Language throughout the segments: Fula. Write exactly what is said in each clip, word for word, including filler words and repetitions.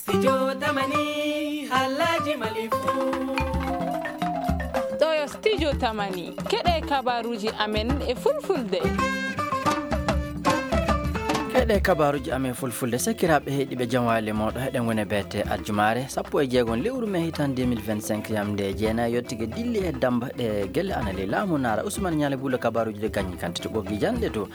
Studio Tamani, haalaaji Mali fuu. Ɗo yo Studio Tamani, keɗe kabaruuji amen e fulfulde. Keɗe kabaruuji amen fulfulde, sakiraaɓe heɗiiɓe, jam waali mooɗon, heɗen ngoni e beete aljumaare sappo e jeegom lewru mee hitaande deux mille vingt-cinq, yamnde jeenayi yottike dilli e dammba ɗe gelle ana ley laamu naara. Ousmane Niale Bula, kabaruuji ɗi gañi kante to ɓoggi janɗe to.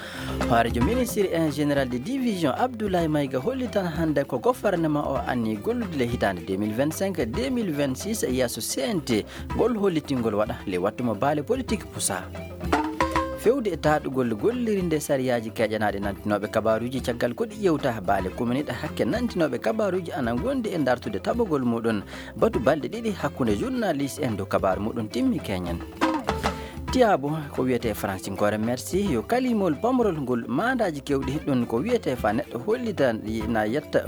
Hooreejo ministre en général de division Abdoulaye Maïga hollitan hannde ko gouvernement o anni gollude le hitaande deux mille vingt-cinq, deux mille vingt-six e yeeso C N T, ngol hollitingol waɗa le wattu mo baale politique pusa. Fewde e taɗugol gollirinde sariyaaji keƴanaaɗi nantinooɓe kabaruuji caggal ko ɗi ƴewta baale kumaniiɗe hakke nantinooɓe kabaruuji ana ngondi e dartude taɓugol muɗum batu balɗe ɗiɗi hakkunde journaliste en dow kabaaru muɗum timmi keñen. Tiyaabu ko wiyetee fransinkoore merci yo kalimol pamrol ngol maandaaji keewɗi ɗum ko wiyetee fa neɗɗo hollita na yetta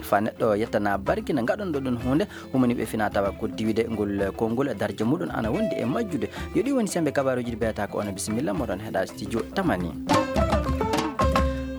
fa neɗɗo yettana barki na ngaɗonɗo ɗum huunde humani ɓe fina tawa ko diwide ngol konngol darja muɗum ana wondi e majjude. Yo ɗi woni sembe kabaruuji ɗi beeta ko ono bisimilla moɗon heɗa studio Tamani.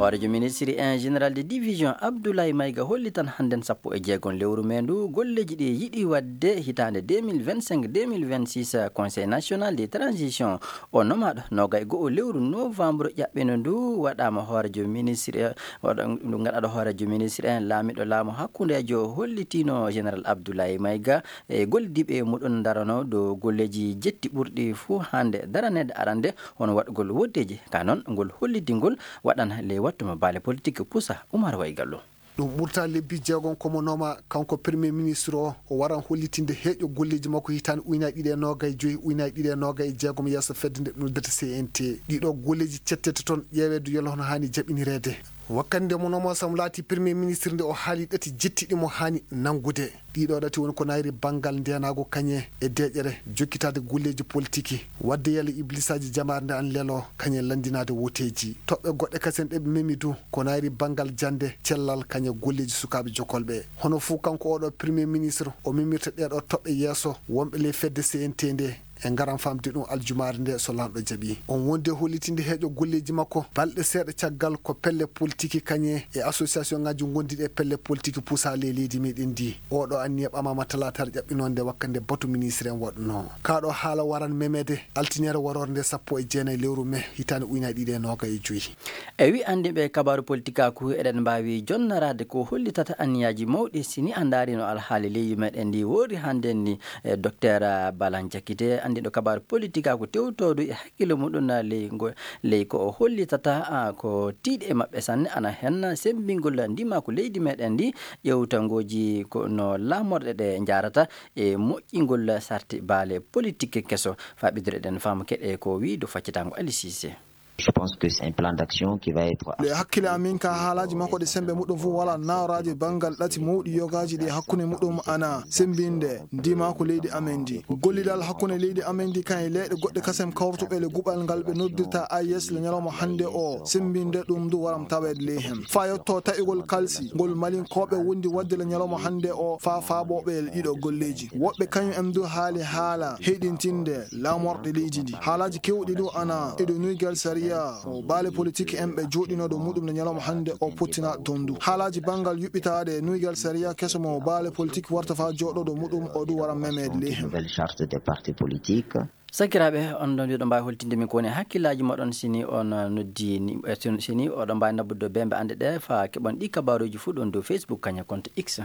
Hooreejo ministre en général de division Abdoulaye Maïga hollitan hannden sappo e jeegom lewru mee ndu golleeji ɗi yiɗi waɗde hitaande deux mille vingt-cinq, deux mille vingt-six, Conseil national de transition o nomaaɗo noogay go'o lewru novembre ƴaɓɓino ndu waɗaama hooreejo ministre, waɗa-, ndu ngaɗaaɗo hooreejo ministre en laamiɗo laamu hakkundeejo hollitino général Abdoulaye Maïga e gollidiiɓe muɗum darano dow golleeji jetti ɓurɗi fuu hannde daraneede arande hono waɗugol woddeeji ka noon ngol hollitingol waɗan ley wattu mo baale politique pusa. Umar Waygallo. Ɗum ɓurta lebbi jeegom ko mo nooma kanko premier ministre o, o waran hollitinde heeƴo golleeji makko hitaande ujunaaji ɗiɗi e noogay joyi, ujunaaji ɗiɗi e noogay e jeegom yeeso fedde nde ɗum noddata C N T. Ɗiɗo golleeji cettete toon ƴeeweede yolo hono haani jaɓinireede. Wakkati nde mo nooma sam laati premier ministre nde o haali ɗati jettiɗi mo haani nanngude. Ɗiɗo ɗati woni ko nayri banngal ndeenaagu kañe e deeƴere jokkitaade golleeji politiki, waɗde yalla iblisaaji jamaare nde an lelo kañe lanndinaade woteeji. Toɓɓe goɗɗe kasen ɗe ɓe memi du ko nayri banngal jannde, cellal kañe golleeji sukaaɓe jokolɓe. Hono fuu kanko oɗo premier ministre o memirta ɗeɗo toɓɓe yeeso wonɓe ley fedde C N T nde. En ngaran famde ɗum aljumaare nde so lanɗo jaɓi. On wondi e hollitinde heeƴo golleeji makko balɗe seeɗa caggal ko pelle politiki kañe e association ngaji ngondiɗi e pelle politiki pusa ley leydi meɗen ndi. Oɗo anniya ɓamama talaataare ƴaɓɓinonde wakkande batu ministre en waɗuno. Kaɗo haala waran memede altiniere warore nde sappo e jeenayi lewru mee hitaande ujunaaji ɗiɗi e noogay e joyi. E wi anndi ɓe kabaru politikaaku eɗen mbaawi jonnaraade ko hollitata anniyaaji mawɗi si ni a ndaarino alhaali leydi meɗen ndi wori hannde ni. E, Docteur Balan Jakite, anndiiɗo kabaaru politik, ko tewtoodu e hakkille muɗum ley ngo, ley ko o hollitata, a, ko tiiɗi e maɓɓe sanne, ana hen semmbingol ndimaaku leydi meɗen ndi, ƴeewtangooji ko no laamorɗe ɗe njaarata e moƴƴingol sarti baale politik keso. Faa ɓeydude ɗen faamu keɗe ko wii dow faccitango Ali Cissé. Je pense que c'est un plan d'action qui va être... Nde hakkile amin ka haalaaji makko ɗi semmbe muɗum fof wala naawraaji banngal ɗati mawɗi yogaaji ɗi hakkunde muɗum ana semmbinde ndimaaku leydi amen ndi. Gollidal hakkunde leydi amen ndi kan e leyɗe goɗɗe kasem kawrutuɓe le guɓal ngal ɓe noddirta A E S le ñalawma hannde o semmbinde ɗum ndu waram taweede ley hen. Faa yetto taƴugol kalsi ngol Malinkooɓe wondi waɗde le ñalawma hannde o faa faaɓooɓe e ɗiɗo golleeji. Woɓɓe kañum en du haali haala heyɗintinde laamorɗe leydi ndi. Haalaaji keewɗi du ana e ɗo nuygal sariya o baale politik en ɓe jooɗinoo ɗo muɗum nde ñalawma hannde o pottinaa ɗon du. Haalaaji banngal yuɓɓitaade nuygal sariya keso mo baale politik warta faa jooɗoo ɗo muɗum o du wara memeede ley hen. Nouvelle charte des partis politiques. Sakiraaɓe, on ɗon mbiɗo mbaawi holtinde min ko woni hakkillaaji moɗon si ni on noddi ni, eh, si, si ni oɗon mbaawi nabbude bembe annde ɗe faa keɓon ɗi kabaaruuji fuu ɗon dow Facebook kañum e compte X.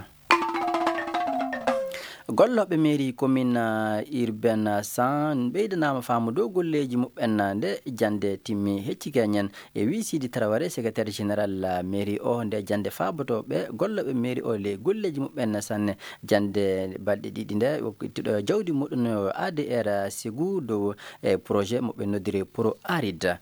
Gollooɓe mairie commune, ah, urbaine cent ɓeydanaama faamu dow golleeji muɓɓen nde jannde timmi hecci keñen. E wii Sidi Traoré, secrétaire général, ah, mairie o, nde jannde faabotooɓe gollooɓe mairie o ley golleeji muɓɓen sanne. Jannde balɗe ɗiɗi nde, okkiɗo jawdi muɗum A D R Ségou dow e projet mo ɓe noddiri Pro Arid.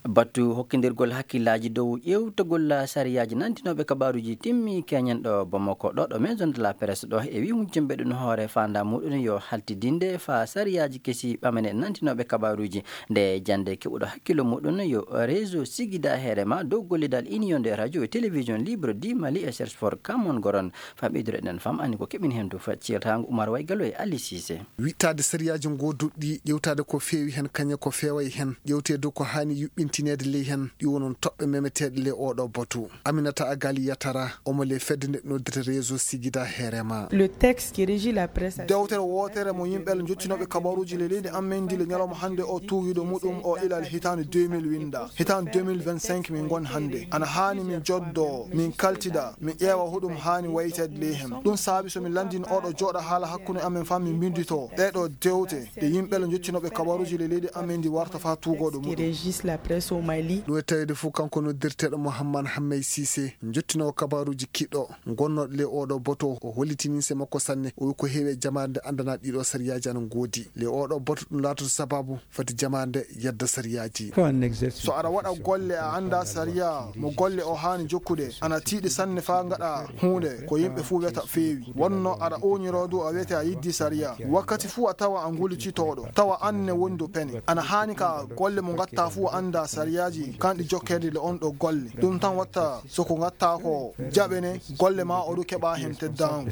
Batu hokkindirgol hakkillaaji dow ƴeewtagol sariyaaji nantinooɓe kabaaruuji timmi keñen ɗo Bamako, ɗo, ɗo Maison de la Presse ɗo, e wii hujjumɓe ɗum hoore faandaa muɗum yo haltidinde faa sariyaaji kesi ɓamane nantinooɓe kabaaruuji. Nde jannde keɓuɗo hakkillo muɗum yo réseau Sigida Herema dow gollidal Union des radios et télévision libre du Mali et Cherche for Kamon Goron. Faa ɓeydude ɗen fam anni ko keɓin hen dow faccirtaango Umar Waygalo e Ali Cissé. Wittaade sariyaaji gooduɗi, ƴeewtaade ko feewi hen, kañe ko feeway hen, ƴeewtee dow ko haani yuɓɓin tineede ley heen, ɗi wonon toɓɓe memeteeɗe ley oɗo batu. Aminata Agali Yatara, omo ley fedde nde noddirta Réseau Sigida Herema. Le texte qui régit la presse a Dewtere wootere mo yimɓe le njottinooɓe kabaruuji le leydi amen ndi le ñalawma hannde o tuwiiɗo muɗum o ilal hitaande deux mille winda. Hitaande deux mille vingt-cinq min ngon hannde. Ana haani min joddo, min kaltida, min ƴeewa hoɗum haani wayteede ley heen. Ɗum saabi so min lanndin oɗo jooɗa haala hakkunde amen faa min mbinndito ɗee ɗo dewte ɗe yimɓe le njottinooɓe kabaruuji le leydi amen ndi warta faa tuugooɗo qui muɗum. Régisse la presse au Mali. Ɗum e taweede fof kanko noddirteeɗo Mouhammad Hammey Cissé, njottinoowo kabaruuji kiɗɗo, gonnooɗo ley oɗo boto, o holliti nimse makko sanne. O wi ko heewi e jamaare nde anndanaa ɗiɗo sariyaaji ana ngoodi. Ley oɗo boto ɗum laatoto sababu fati jamaare nde yedda sariyaaji. Quand on exerce So aɗa waɗa golle a anndaa sariya mo golle o haani jokkude, ana tiiɗi sanne faa ngaɗa huunde ko yimɓe fuu wiyata feewi. Wonno aɗa ooñiroo du a wiyete a yiddi sariya. Wakkati fuu a tawa a ngulicitooɗo, tawa aan ne woni dow pene. Ana haani ka golle mo ngatta fuu a anndaa sariyaaji kanɗi jokkeede le on ɗo golle. Ɗum tan watta so ko ngatta ko jaɓene golle ma o du keɓa heen teddaango.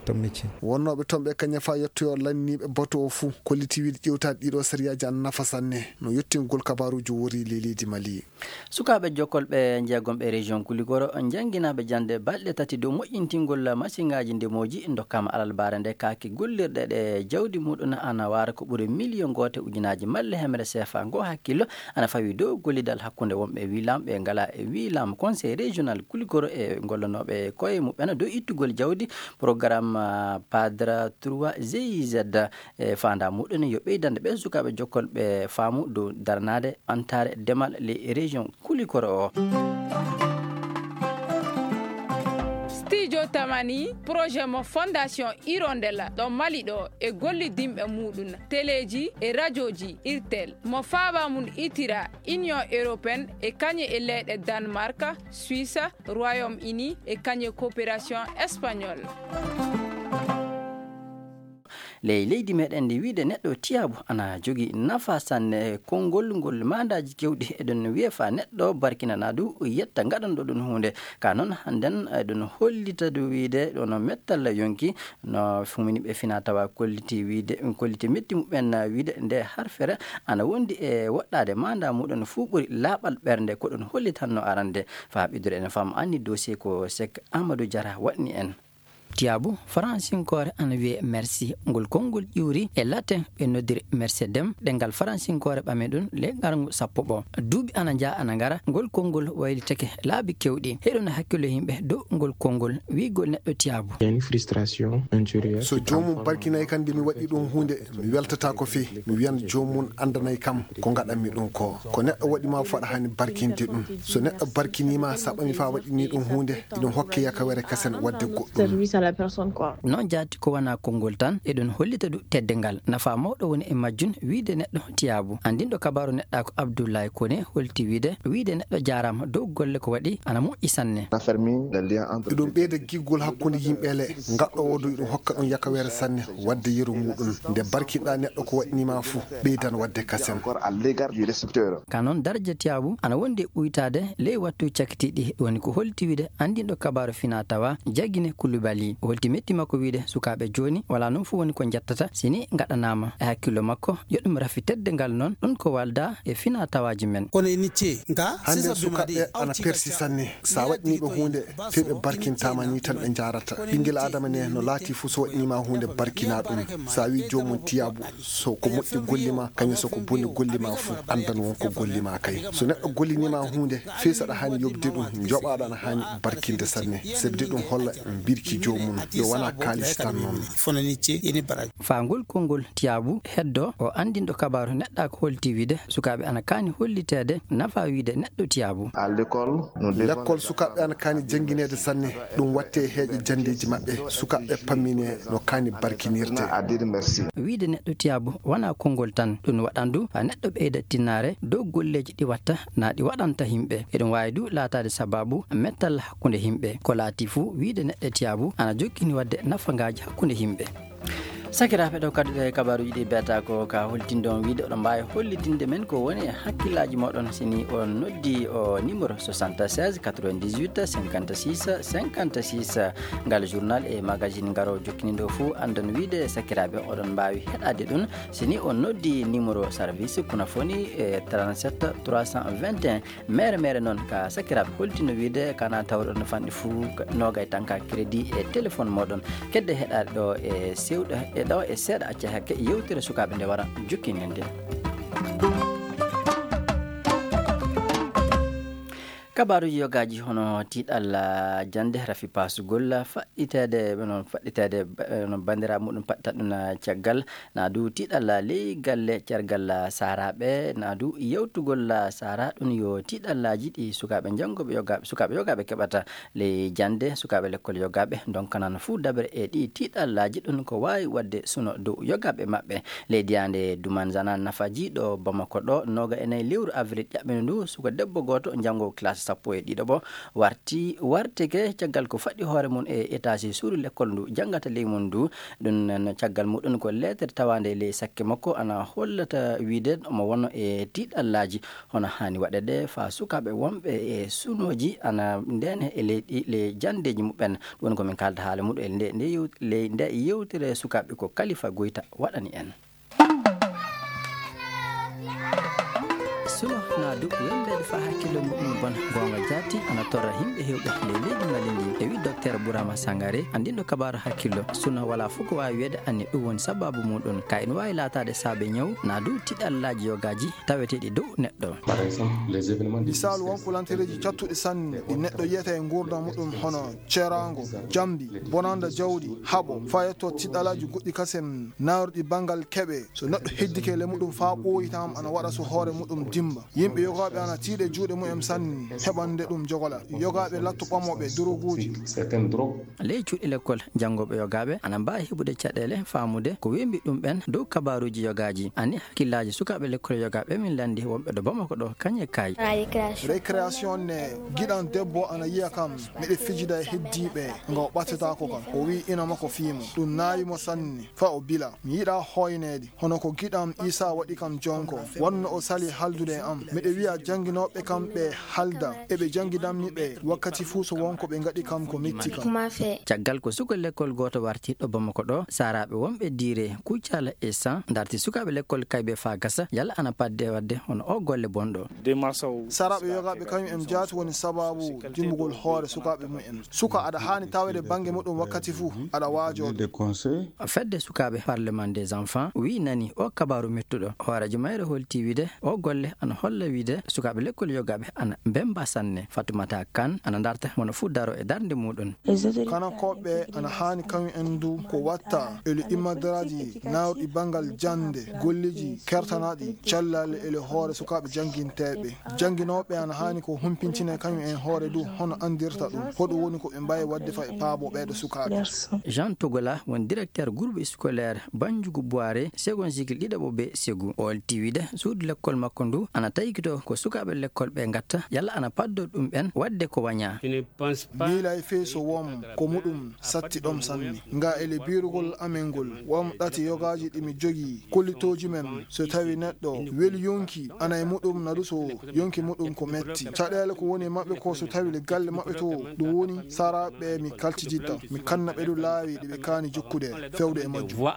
Wonnooɓe toon ɓe kañum faa yettoyoo lanniiɓe bato o fuu, kolliti wiide ƴeewtaade ɗiɗo sariyaaji ana nafa sanne no yottingol kabaruuji wori ley leydi Mali. Sukaaɓe jokkol ɓe jeegom ɓe région Kuligoro, jannginaaɓe jannde balɗe tati dow moƴƴintingol masiŋaaji ndemooji, ndokkaama alarbaare nde kaake gollirɗe ɗe jawdi muɗum ana waara ko ɓuri miliyon gooto ujunaaji malle hemre seefa. Ngo hakkillo ana fawi dow gollidal hakkunde wonɓe wilaam ɓe ngala e wilaam. Conseil régional Kuligoro e gollanooɓe koye muɓɓen dow ittugol jawdi programme, ah, Padra trois G I Z. E faandaa muɗum yo ɓeydande ɓe sukaaɓe jokkol ɓe faamu dow daranaade ɓantaare demal ley région Kulikoro o. Studio Tamani, projet mo Fondation Hirondelle ɗo Mali ɗo e gollidinɓe muɗum, teleeji e rajooji Irtel, mo faaba mum itira Union Européenne e kañe e leyɗe Danemark, Suisse, Royaume-Uni e kañe coopération espagnole. Ley leydi meɗen ndi, wiide neɗɗo tiyaabu ana jogii nafa sanne. Konngol ngol maandaaji keewɗi eɗon wiya faa neɗɗo barkinana du yetta ngaɗanɗo ɗum huunde. Ka noon hannden eɗon hollita du wiide ɗono mettal yonki no fumini ɓe fina tawa kolliti wiide, kolliti metti muɓɓen wiide nde harfere ana wondi e woɗɗaade maandaa muɗum fuu ɓuri laaɓal ɓernde ko ɗum hollitanno arande. Faa ɓiddure en fam anni dossier ko Sek Amadou Diarra waɗni en. Tiyaabu faransinkoore ana wiyee merci. Ngol konngol ƴuuri e latin ɓe noddiri mercedem, ɗemngal faransinkoore ɓami ɗum ley qarngu sappo ɓo. Duuɓi ana njaha ana ngara, ngol konngol waylitake laabi keewɗi. Heɗon hakkillo yimɓe dow ngol konngol, wiigol neɗɗo tiyaabu. Il y a une frustration intérieure. So joomum barkinay kan nde mi waɗi ɗum huunde, mi weltataa ko fii. Mi wiyan joomum anndanay kam ko ngaɗanmi ɗum ko. Ko neɗɗo waɗi ma fuu aɗa haani barkinde ɗum. So neɗɗo barkinii ma, saɓami faa waɗini ɗum huunde, iɗum hokke yakawere kasen waɗde goɗɗum. Service à la personne, quoi. Noon jaati ko wonaa konngol tan, eɗum hollita du teddungal. Nafa mawɗo woni e majjum, wiide neɗɗo tiyaabu. Anndinɗo kabaaru neɗɗaaku Abdoulaye Koné holti wiide, wiide neɗɗo jaaraama dow golle ko waɗi ana moƴƴi sanne. On a fermé le lien entre Eɗum ɓeyda giggol hakkunde yimɓe le, ngaɗɗo o du iɗum hokka ɗum yakawere sanne, waɗde yeru muɗum. Nde barkinɗa neɗɗo ko waɗni ma fuu, ɓeydan waɗde kasen. Encore à l'égard du récepteur. Ka noon, daraja tiyaabu ana wondi e ɓuytaade ley wattu cakitiiɗi. Ɗum woni ko holti wiide anndinɗo kabaaru fina tawa Jagine Koulibaly. O holti metti makko wiide sukaaɓe jooni walaa noon fuu woni ko njettata si ni ngaɗanaama. E hakkillo makko, yo ɗum rafi teddungal noon, ɗum ko walda e fina tawaaji men. Kono e nicce nga, Hannde sisa sukaaɓe bimadi, ana auti persi gaskiya. Sanne. Sa waɗni ɓe huunde, fii ɓe barkintaama ni tan ɓe njaarata. Ɓinngel Aadama ne no laati fuu so waɗni ma huunde barkina ɗum. Sa wi joomum tiyaabu, so ko moƴƴi golli ma, kañum so ko boni golli ma fuu, anndan won ko golli ma kay. So neɗɗo gollini ma huunde, fii saɗa haani yoɓde ɗum, njoɓaaɗo ana haani barkinde sanne. Sebde ɗum holla mbirki joomum, yo wona kaalis tan noon. Faa ngol konngol tiyaabu heddo, o anndinɗo kabaaru neɗɗaaku holti wiide sukaaɓe ana kaani holliteede nafa wiide neɗɗo tiyaabu. À l'école, nous devons Lekkol sukaaɓe ana kaani janngineede sanne, ɗum watte heeƴe janndeeji maɓɓe, sukaaɓe pammine no kaani barkinirte. À dire merci. Wiide neɗɗo tiyaabu wonaa konngol tan, ɗum waɗan du haa neɗɗo ɓeyda tinnaare dow golleeji ɗi watta naa ɗi waɗanta yimɓe. Eɗum waawi du laataade sabaabu mettal hakkunde yimɓe. Ko laati fuu, wiide neɗɗo tiyaabu ana jokkini waɗde nafangaaji hakkunde yimɓe. Sakiraaɓe, ɗo kadduɗe kabaaruuji ɗi beeta ko ka holtinde on wiide oɗon mbaawi hollitinde men ko woni e hakkillaaji mooɗon si ni on noddi o numéro soixante-seize quatre-vingt-dix-huit cinquante-six cinquante-six. Ngal journal e magazine ngaro jokkinindo fuu anndon wiide sakiraaɓe oɗon mbaawi heɗaade ɗum si ni on noddi numéro service Kunafoni e trente-sept trois cent vingt et un. Mere mere noon ka sakiraaɓe holtino wiide kana tawɗon fanɗi fuu nogay tan ka crédit e téléphone mooɗon. Kedde heɗaade ɗo e sewɗo e ɗo e seeɗa acca hakke yewtere sukaaɓe nde wara jukkininde. Kabaaruuji yogaaji hono tiiɗalla jannde rafi paasugol faɗɗiteede, noon faɗɗiteede, eh, no banndiraaɓe muɗum paɗɗata ɗum caggal, na du tiiɗalla ley galle cergal saaraaɓe, na du yewtugol saara ɗum yo tiiɗallaaji ɗi sukaaɓe janngooɓe yogaaɓe, sukaaɓe yogaaɓe keɓata ley jannde, sukaaɓe lekkol yogaaɓe ndonkanan fuu dabre e ɗi tiiɗallaaji ɗum ko waawi waɗde suno dow yogaaɓe maɓɓe. Ley diyaande Dumanzana Nafaji ɗo Bamako ɗo, nooga e nayi lewru avril ƴaɓɓino ndu, suka debbo gooto janngo classe sappo e ɗiɗo ɓo warti, wartike caggal ko faɗɗi hoore mum e étage suudu lekkol ndu janngata ley mum ndu. Ɗum noon caggal muɗum ko leetere tawaande ley sakke makko ana hollata wiide omo wonno e tiiɗallaaji hono haani waɗeede faa sukaaɓe wonɓe e sunooji ana ndeene e ley ɗi, ley janndeeji muɓɓen. Ɗum woni ko min kaalda haala muɗum e nde, nde yew-, ley nde yewtere sukaaɓe ko Kalifa Goyta waɗani en. Suno na du wembeede faa hakkille muɗum bon goonga jaati ana torra yimɓe heewɓe ley leydi Mali ndi. E wi Docteur Bourama Sangare, anndinɗo kabaaru hakkillo, suno walaa fof ko waawi wiyeede anni ɗum woni sabaabu muɗum. Ka ina waawi laataade saabe ñaw, na du tiiɗallaaji yogaaji taweteeɗi dow neɗɗo. Par exemple, les événements Misaalu, won ko lantereeji cattuɗi sanne ɗi neɗɗo yiyata e nguurndam muɗum hono ceeraango, jambi, bonanda jawdi, haɓo, faa yetto tiiɗallaaji goɗɗi kasen naawruɗi banngal keɓe. So neɗɗo heddike le muɗum faa ɓooyi tan ana waɗa so hoore muɗum dimba. Yimɓe yogaaɓe ana tiiɗe juuɗe mumen sanne heɓande ɗum jogola. Yogaaɓe latto ɓamooɓe doroguuji. Certaines drogues. Ley cuuɗi lekkol, janngooɓe yogaaɓe ana mbaawi heɓude caɗeele faamude ko wembi ɗum ɓen dow kabaaruuji yogaaji. Ani hakkillaaji sukaaɓe lekkol yogaaɓe min lanndi wonɓe ɗo Bamako ɗo kañe kaay. Récréation ne, giɗan debbo ana yiya kam, miɗo fijida e heddiiɓe, nga o ɓattataako kam. O wi'i ina makko fiimo. Ɗum naawi mo sanne, faa o bila. Mi yiɗaa hoyneede, hono ko giɗam Iisaa waɗi kam jonko. Wonno o sali haldude e am. Miɗo wi'a jannginooɓe kam ɓe halda, eɓe jannginammi ɓe, wakkati fuu so won ko ɓe ngaɗi kam ko metti kam. Caggal ko suka lekkol gooto warti ɗo Bamako ɗo, saaraaɓe wonɓe diire Kucala e San ndarti sukaaɓe lekkol kayɓe faa gasa, yalla ana padde waɗde hono o golle bonɗo. Saaraaɓe yogaaɓe kañum en jaati woni sabaabu dimbugol hoore sukaaɓe mumen. Suka aɗa haani taweede bannge muɗum wakkati fuu, aɗa waajoo. Des conseils. Fedde sukaaɓe Parlement des enfants wi nani o kabaaru mettuɗo. Hooreejo mayre holti wiide o golle ana holla wiide sukaaɓe lekkol yogaaɓe ana mbemba sanne. Fatumata Kan ana ndarta wona fuu daro e darnde muɗum. Kanankooɓe ana haani kañum en du ko watta ele immadaraaji naawruɗi banngal jannde, golleeji kertanaaɗi, callal ele hoore sukaaɓe jannginteeɓe. Jannginooɓe ana haani ko humpintina kañum en hoore du hono anndirta ɗum. Ko ɗum woni ko ɓe mbaawi waɗde faa ɓe paabo ɓeeɗo sukaaɓe. Jean Togola woni directeur groupe scolaire Banjugu Boire, second cycle ɗiɗaɓo B Segu. O holti wiide suudu lekkol makko ndu ana taykito ko sukaaɓe lekkol ɓe ngatta, yalla ana paddo ɗum ɓen waɗde ko wañaa. Miilay fey so won ko muɗum satti ɗom sanne. Nga ele biirugol amen ngol, won ɗate yogaaji ɗi mi jogii, kollitooji men, so tawi neɗɗo weli yonki, ana e muɗum nadu so yonki muɗum ko metti. Caɗeele ko woni e maɓɓe ko so tawi le galle maɓɓe to, ɗum woni saraaɓe mi kaltiditta, mi kanna ɓe du laawi ɗi ɓe kaani jokkude, fewde e majjum.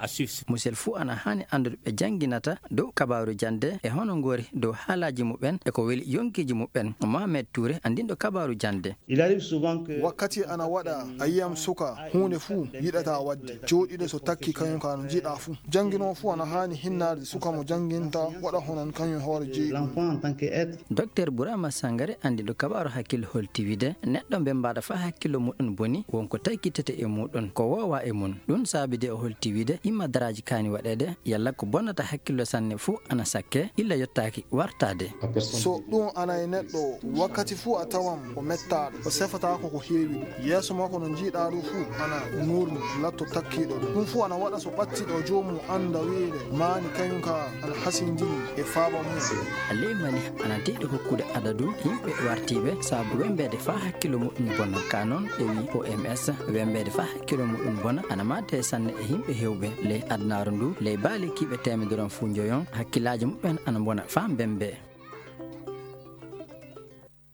Musel fuu ana haani anndude ɓe jannginata dow kabaaru jannde e hono ngori dow haalaaji muɓɓen e ko weli yonkiiji muɓɓen. Mohamed Touré, anndinɗo kabaaru jannde. Il arrive souvent que Wakkati ana waɗa, a yiyam suka, huunde fuu yiɗata waɗde. Jooɗiiɗo so takki kañum ka no jiɗa fuu. Jannginoo fuu ana haani hinnaade suka mo jannginta, waɗa hono kañum hoore jeyi. L'enfant en tant qu'être. Docteur Bourama Sangare, anndinɗo kabaaru hakkille holti wiide, neɗɗo mbembaɗo faa hakkillo muɗum boni, won ko taykitete e muɗum, ko woowa e mum. Ɗum saabi de o holti wiide, immadaraaji kaani waɗeede, yalla ko bonnata hakkillo sanne fuu ana sakke, illa yottaaki, warta Tade. So ɗum ana e neɗɗo o, wakkati fuu a tawan o mettaaɗo, o sefataako ko heewi ɗum. Yeeso makko no njiiɗaa ɗum fuu ana nuurni, latto takkiiɗo ɗum. Ɗum fuu ana waɗa so ɓattiɗo joomum annda wiide maani kañum ka ana hasindini e faaba mum. Ley Mali ana deeɗi hokkude adadu yimɓe wartiiɓe sabu wembeede faa hakkillo muɗum bona. Ka noon e wii O M S, wembeede faa hakkillo muɗum bona ana maadde sanne e yimɓe heewɓe ley adunaaru ndu. Ley baali kiiɓe teemedere on fuu njoyon, hakkillaaji muɓɓen ana mbona faa mbembe.